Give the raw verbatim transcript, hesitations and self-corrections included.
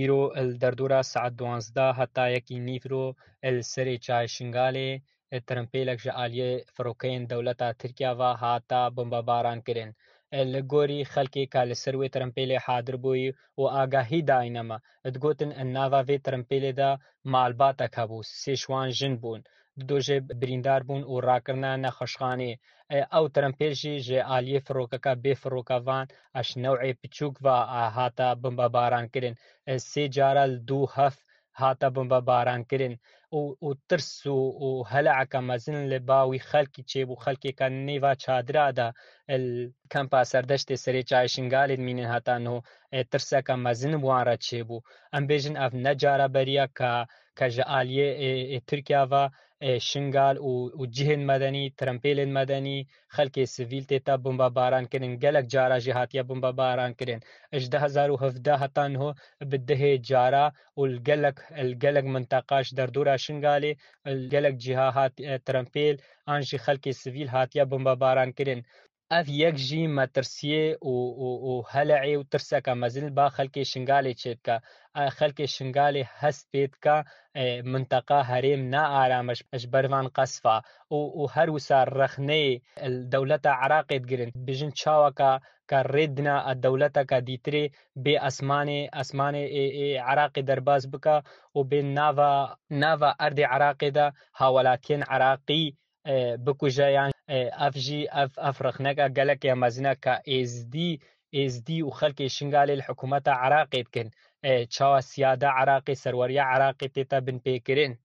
Îro li derdora saet duwazdeh heta yekî nîvro li serê çayê Şingalê, e, trempêlek ji aliyê firokeyên dewleta Tirkiya ve hata bombebaran kirin. E, li gorî xelkê ka li ser wê trempêlê hadir bûyî û agahî dayîne me, digotin, nava vê trempêlê de malbatek hebû, sê ji wan jin bûn. Du jê birîndar bûn û rakirine nexweşxanê. E, ew trempêl jî ji aliyê firokeka bê firokevan, eş new'ê piçûk ve, e, hata bombebaran kirin. E, sê cara li dû hev hate bombebaran kirin û, û tirs û, û hele'eke mezin li ba wî xelkî çêbû, xelkê ka nêva çadira de, li kempa Serdeştê serê çayê Şingalê dimînin heta niho, e, tirseke mezin bi wan re çêbû. Em bêjin ev ne cara beriya ka, ka ji aliyê, e, e, Tirkiya ve, e, Şingal û, û cihên medenî, trempêlên medenî, xelkê sivîl tête bombebaran kirin. Gelek cara jî hatiye bombebaran kirin. Ji du hezar û hevdeh heta niho bi dehê cara û li gelek, li gelek minteqa ji derdora Şingalê, li gelek ciha hat, e, trempêl an jî xelkê sivîl hatiye bombebaran kirin. Ev yek jî metirsiyê û, û, û hele'ê û tirseke mezin li ba xelkê Şingalê çêdike. E, xelkê Şingalê hest pê dike, e, minteqa herêm ne aram e ji, ji ber van qesfa û, û her wisa rexneyê li dewleta Iraqê digirin. Bijin çaweka ka rê dina e dewleteka dîtirê bê esmanê, esmanê ê, ê Iraqê derbas bike û bê nava, nava erdê Iraqê de hawelatiyên Iraqî, e, bikuje yan, e, ev jî, ev, ev rexneke gelek ya mezin e ka êzdî, êzdî û xelkê Şingalê li hikûmeta Iraqê dikin. E, çawa siyada Iraqê, serweriya Iraqê tête binpêkirin.